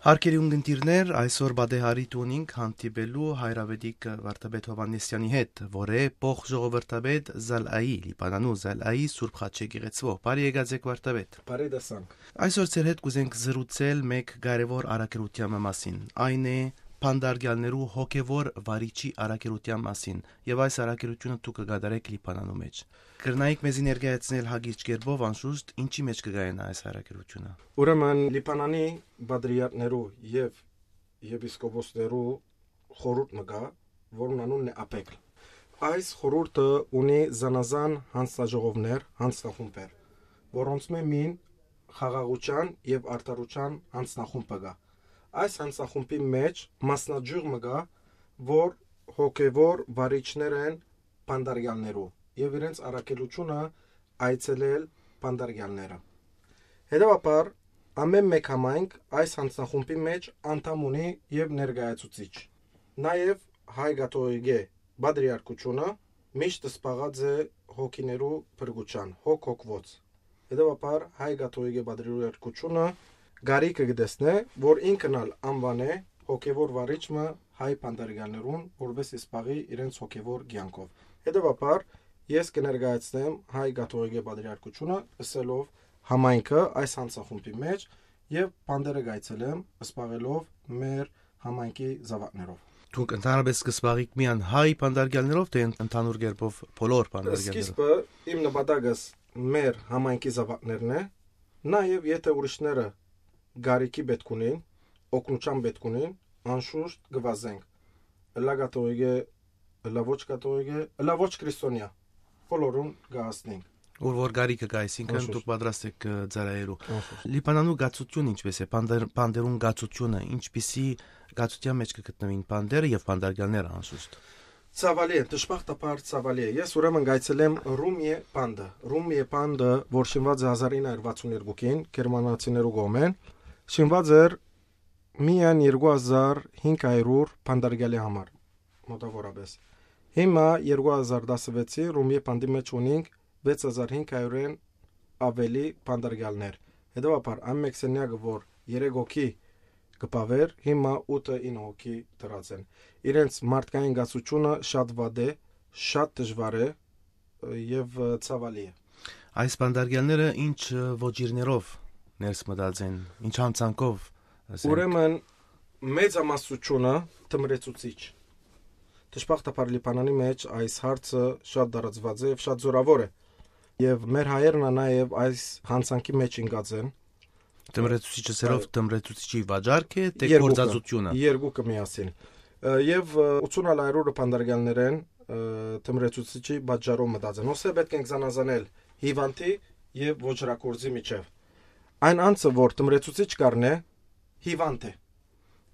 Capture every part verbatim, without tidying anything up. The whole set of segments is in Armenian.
Հարկերի ունգընտիրներ, այսօր բադեհարի տունինք հանդիպելու հայրավետիք վարդապետ Հովհաննեսյանի հետ, որ է փող ժողովրդապետ Զալայի, Լիբանանու Զալայի Սուրբ Խաչե գեղեցվով։ Բարի եկած եք վարդապետ։ Բարի դասանք։ Այսօր ձեր հետ կուզենք զրուցել մեկ կարևոր առաքելության մասին։ Այն է Փանդարգյալներու հոգևոր վարիչի առաքելության մասին, եւ այս առաքելությունը դուք կգադարեք Լիբանանու մեջ։ Կրնայիք մեզի ներկայացնել հագիչ կերպով անշուշտ ինչի մեջ կգայնա այս առաքելությունը։ Ուրեմն Լիբանանի բադրիատներու եւ եպիսկոպոսներու խորհուրդ մգա, որն անունն է ԱՊԵԿ։ Այս խորհուրդը ունի զանազան հանձնաժողովներ, հանձնախումբեր, որոնց մին խաղաղության եւ արդարության հանձնախումբ կա։ Այս հանձնախումբի մեջ մասնաճյուղ մգա, որ հոգևոր վարիչներ են Փանդարգյալներու եւ իրենց առաքելությունը այցելել Փանդարգյալները։ Հետևաբար ամեն մեկ համայնք այս հանձնախումբի մեջ անդամ ունի եւ ներկայացուցիչ։ Նաեւ հայ կաթողիկե բադրիարքությունը միշտ սպաղած է հոգիներու փրկության, հոգ հոգվոց։ Հետևաբար հայ կաթողիկե բադրիարքությունը Գարիկը գտեսնե, որ ինքնալ անվանե հոգևոր վարիչը հայ Փանդարգյալներուն, որպես իսպաղի իրենց հոգևոր կյանքով։ Հետևաբար ես կներկայացնեմ հայ կաթողիկե բադրիարքությունը, ըսելով համայնքը այս հանձնախումբի մեջ եւ Փանդերը գայցելեմ, սպաղելով մեր համայնքի զավակներով։ Դուք ընդհանրապես կսպաղիք միան հայ Փանդարգյալներով, թե ընդհանուր կերպով բոլոր Փանդարգյալներով։ Սկիզբը իմ նպատակս մեր համայնքի զավակներն է, նաեւ եթե ուրիշները Գարիկի պետք ունին, օգնության պետք ունին, անշուշտ գվազենք։ Լա կաթողիկե, լա ոչ կաթողիկե, լա ոչ քրիստոնյա, բոլորուն գահացնենք։ Որ որ Գարիկը գա, այսինքն դուք պատրաստ եք ծառայելու։ Լիբանանու գացությունը ինչպես է, Փանդերուն գացությունը, ինչպիսի գացության մեջ կգտնվին Փանդերը եւ Փանդարգյալները անշուշտ։ Ցավալի է, դժբախտաբար ցավալի է։ Ես ուրեմն գայցելեմ Ռումիե Փանդը։ Ռումիե Փանդը, որ շինված է հազար ինը հարյուր վաթսուններկուին, գերմանացիներու կողմեն, շինված էր միայն երկու հազար հինգ հարյուր Փանդարգյալի համար, մոտավորապես։ Հիմա երկու հազար տասնվեցի Ռումիե Փանդի մեջ ունենք վեց հազար հինգ հարյուրեն ավելի Փանդարգյալներ։ Հետևաբար այն մեկ սենյակը, որ երեք հոգի կպավեր, հիմա ութը ինը հոգի դրած են։ Իրենց մարդկային գացությունը շատ վատ է, շատ դժվար է եւ ցավալի է։ Այս Փանդարգյալները ինչ ոճիրներով ներս մտած են, ինչ հանցանքով։ Ուրեմն մեծամասնությունը թմրեցուցիչ։ Դժբախտաբար Լիբանանի մեջ այս հարցը շատ դարածված է եւ շատ զորավոր է։ Եվ մեր հայերն նաեւ այս հանցանքի մեջ ընկած են։ Թմրեցուցիչը սերով թմրեցուցիչի վաճառք է, թե գործածությունը։ Երկուքը միասին։ Եվ ութսուն հարյուրը Փանդարգյալներ են թմրեցուցիչի վաճառով մտած են։ Ոսե պետք է զանազանել հիվանդի եւ ոչրակորձի միջև։ Այն անձը, որ թմրեցուցիչ կառնե, հիվանդ է։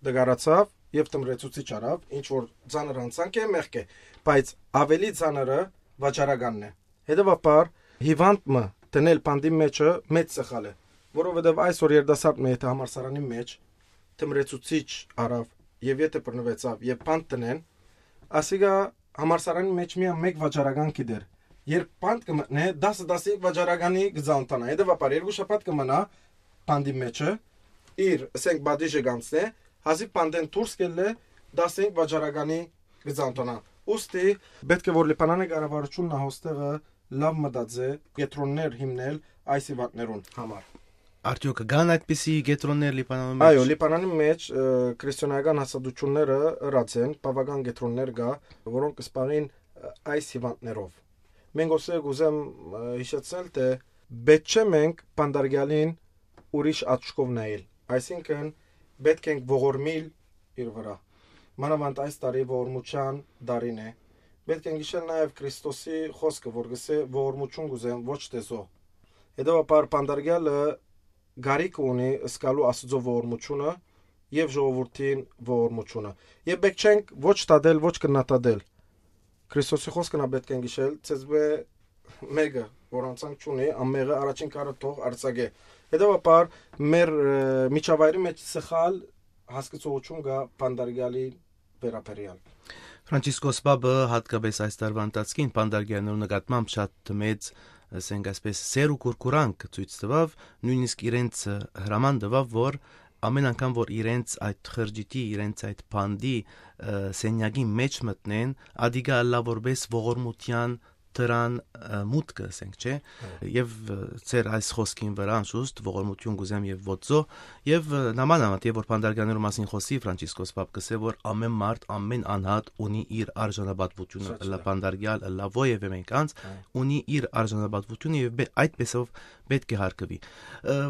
Դգարացավ եւ թմրեցուցիչ արավ, ինչ որ ցաներ հանցանք է, մեղք է, բայց ավելի ցաները վաճառականն է։ Հետևաբար հիվանդը տնել Փանդի մեջը մեծ սխալ է, որովհետեւ այսօր երդասարտը եթե համալսարանի մեջ թմրեցուցիչ արավ եւ եթե բռնվեցավ եւ Փանդ տնեն, ասիգա համալսարանի մեջ միայն մեկ վաճառական կիդեր։ Երբ Փանդ կմտնե դասը դասիկ վաճառականի գծանտանա, հետևաբար երկու շաբաթ կմնա Փանդի մեջը իր ասենք բադիժը գանցնե, հազիվ Փանդեն դուրս կելը դասենք վաճառականի գծանտանա։ Ոստի պետք է որ Լիբանանի կառավարությունն հոստեղը լավ մտածե գետրոններ հիմնել այս իվակներուն համար։ Արդյոք կան այդպիսի գետրոններ Լիբանանում մեջ։ Այո, Լիբանանի մեջ քրիստոնեական հասարակությունները ըրած են, բավական գետրոններ կա, որոնք կսպաղին այս հիվանդներով։ Մենք ոսե գուզեմ հիշեցնել, թե պետք չէ մենք Փանդարգյալին ուրիշ աչքով նայել։ Այսինքն պետք ենք ողորմիլ իր վրա։ Մանավանդ այս տարի ողորմության տարին է։ Պետք ենք հիշել նաև Քրիստոսի խոսքը, որ գսե ողորմություն գուզեմ ոչ թե զոհ։ Հետևաբար Փանդարգյալը Գարիկ ունի սկալու Աստծո ողորմությունը եւ ժողովրդին ողորմությունը։ Եվ պետք չենք ոչ տադել, ոչ կնատադել։ Քրիստոսի խոսքն պետք է գիշել, ցեզբե մեկը, որ անցանք չունի, ամեղը առաջին կարը թող արցագե։ Հետևաբար մեր միջավայրի մեջ սխալ հասկացողություն կա Փանդարգյալի վերաբերյալ։ Ֆրանցիսկոս Պապը հատկապես այս տարվա ընթացքին Փանդարգյալներու նկատմամբ շատ մեծ ասենք այսպես սեր ու կուրկուրանք ցույց տվավ, նույնիսկ իրենց հրաման տվավ, որ ամեն անգամ որ իրենց այդ խրճիթի, իրենց այդ բանդի սենյակի մեջ մտնեն, ադիգա լավ որպես ողորմության դրան մուտքը, ասենք, չէ, եւ ծեր այս խոսքին վրա անշուշտ ողորմություն գուզեմ եւ ոծո եւ նամանավանդ եւ որ Պանդարգյաններու մասին խոսի Ֆրանցիսկոս Պապկսը որ ամեն մարդ ամեն անհատ ունի իր արժանապատվությունը, լա Պանդարգյալ, լա ովևէ մեկանց ունի իր արժանապատվությունը եւ այդպեսով պետք է հարգվի։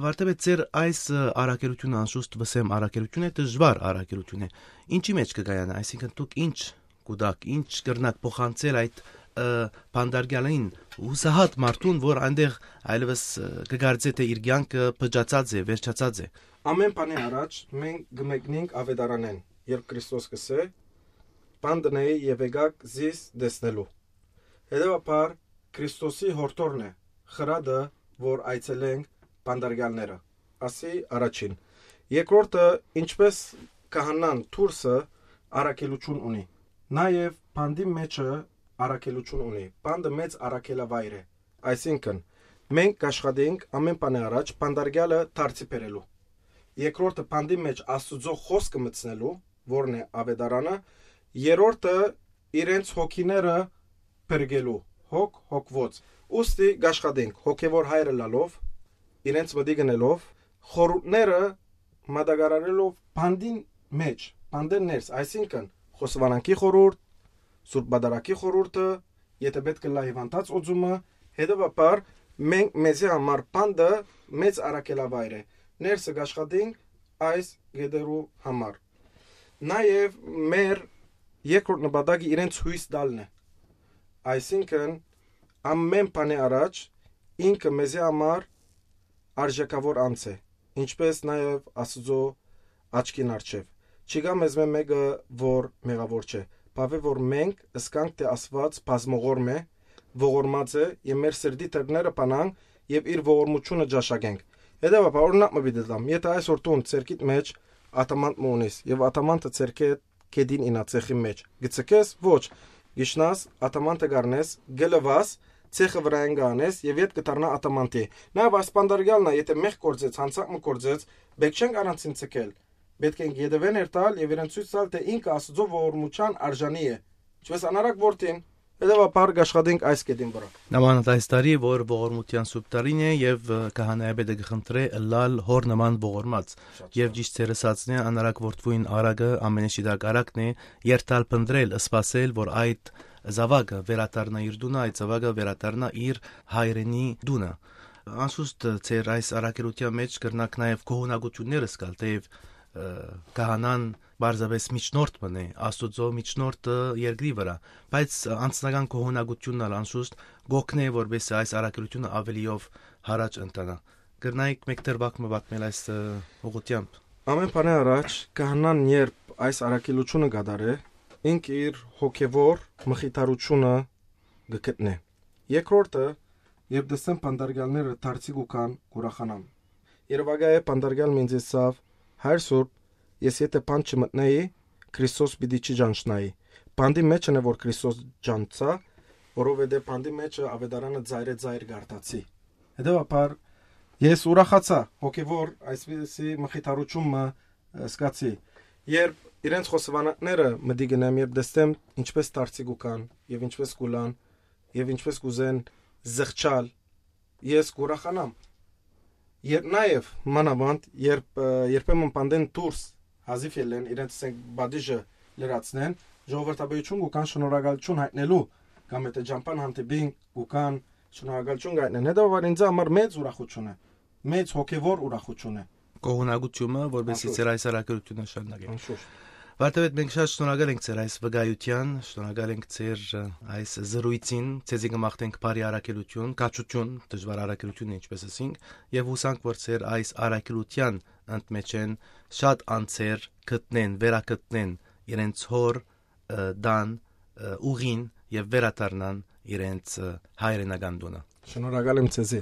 Վարտեբետ ծեր այս առաքելությունը անշուշտ վսեմ առաքելություն է, դժվար առաքելություն է։ Ինչի մեջ կգայանա, այսինքն դուք ինչ կուդակ, ինչ կրնակ փոխանցել այդ Պանդարգյանին ուսահատ մարդուն, որ այնտեղ այլևս կգարձե թե իր կյանքը փճացած է, վերջացած է։ Ամեն բանի առաջ մենք գմեկնենք ավետարանեն, երբ Քրիստոս կսե, «Պանդնեի եւ եկակ զիս դեսնելու»։ Հետևաբար Քրիստոսի հորտորն է, խրադը, որ այցելենք Պանդարգյանները։ Ասի առաջին։ Երկրորդը, ինչպես քահանան Թուրսը առաքելություն ունի։ Նաեւ Պանդի մեջը առաքելություն ունի։ Պանդը մեծ առաքելավայր է։ Այսինքն, մենք կաշխատենք ամեն բանի առաջ Պանդարգյալը դարձի բերելու։ Երկրորդը Պանդի մեջ Աստծո խոսքը մտցնելու, որն է ավետարանը, երրորդը իրենց հոգիները բերգելու, հոգ հոգվոց։ Ուստի կաշխատենք հոգևոր հայրը լալով, իրենց մտի գնելով, խորհուրդները մատակարարելով Պանդին մեջ, Պանդեն ներս, այսինքն խոսվանանքի խորհուրդ, Սուրբ Բադարակի խորհուրդը, եթե պետք է լա հիվանդած օծումը, հետևաբար մենք մեզի համար Պանդը մեծ առաքելավայր է։ Ներսը կաշխատենք այս գեդերու համար։ Նաև մեր երկրորդ նպատակը իրենց հույս տալն է։ Այսինքն ամեն բանի առաջ ինքը մեզի համար արժեքավոր անձ է, ինչպես նաև Աստծո աչքին առջև։ Չկա մեզ մեկը, որ մեղավոր չէ։ Բավե որ մենք ըսկանք թե Աստված բազմողորմ է, ողորմած է եւ մեր սրդի թերները բանանք եւ իր ողորմությունը ճաշակենք։ Հետևաբար օրինակ մը դիտեմ, եթե այսօր տուն ցերկիտ մեջ ատամանտ մունիս եւ ատամանտը ցերկե կեդին ինա ցեխի մեջ, գցկես ոչ, գիշնաս ատամանտը գառնես, գլվաս ցեխը վրային գանես եւ իդ կդառնա ատամանտի։ Նաեւ այս Պանդարգյալն է, եթե մեղ կորձեց, հանցակ մը կորձեց, բեք չեն առանցին ցկել։ Պետք է գեդվեն երտալ եւ իրեն ցույց տալ թե ինքը Աստծո ողորմության արժանի է։ Ինչպես անարակ որդին, հետևաբար աշխատենք այս կետին վրա։ Նամանդ այս տարի որ ողորմության սուրբ տարին է եւ քահանայապետը գխնդրե լալ հոր նման ողորմած եւ ճիշտ ցերսածն է անարակ որդվույն արագը ամենաշիդակ արակն է երտալ փնդրել սпасել որ այդ զավակը վերադառնա իր դունը, այդ զավակը վերադառնա իր հայրենի դունը։ Անշուշտ ծեր այս առաքելության մեջ կրնակ նաեւ կողոնակությունները սկալ թեև քահանան բարձավես միջնորդ մնե Աստուծո միջնորդը երկրի վրա, բայց անձնական կողոնակությունն անշուշտ գոքն է որպես այս առաքելությունը ավելիով հարաճ ընտանա։ Կրնայիք մեկտեր վակմը վատմել այս ուղղությամբ։ Ամեն բանի առաջ քահանան երբ այս առաքելությունը գդարե, ինք իր հոգևոր մխիթարությունը գտնե։ Երկրորդը, երբ դեսեն Պանդարգյալները դարձի գուքան ուրախանամ։ Երևակայ է Պանդարգյալ մինձեսավ Հայր Սուրբ, ես եթե բան չմտնեի, Քրիստոս պիտի չջանչնայի։ Բանդի մեջն է որ Քրիստոս ջանցա, որովհետև բանդի մեջը ավետարանը ծայրե ծայր գարտացի։ Հետևաբար ես ուրախացա, հոգևոր այսպիսի մխիթարությունը սկացի։ Երբ իրենց խոսվանակները մտի գնամ, երբ դստեմ ինչպես դարձի գուքան եւ ինչպես կուլան եւ ինչպես կուզեն զղջալ, ես կուրախանամ։ Երբ նաև մանավանդ երբ երբեմն Պանդեն դուրս հազիվ ելեն իրենց բադիժը լրացնեն ժողովրդաբեություն ու կան շնորհակալություն հայտնելու կամ եթե ջամփան հանդիպին ու կան շնորհակալություն գտնեն հետո ինձ համար մեծ ուրախություն է մեծ հոգևոր ուրախություն է կողոնակությունը որովհետեւ ծեր այս առաքելությունը շարունակենք Վարտեբետ մենք շատ շնորհակալ ենք ծեր այս վկայության, շնորհակալ ենք ծեր այս զրույցին, ցեզի կմաղթենք բարի առաքելություն, կաչություն, դժվար առաքելություն ինչպես ասինք, եւ հուսանք որ ծեր այս առաքելության ընդմեջեն շատ անձեր գտնեն, վերակտնեն իրենց հոր դան ուղին եւ վերադառնան իրենց հայրենական տունը։ Շնորհակալ եմ ցեզի։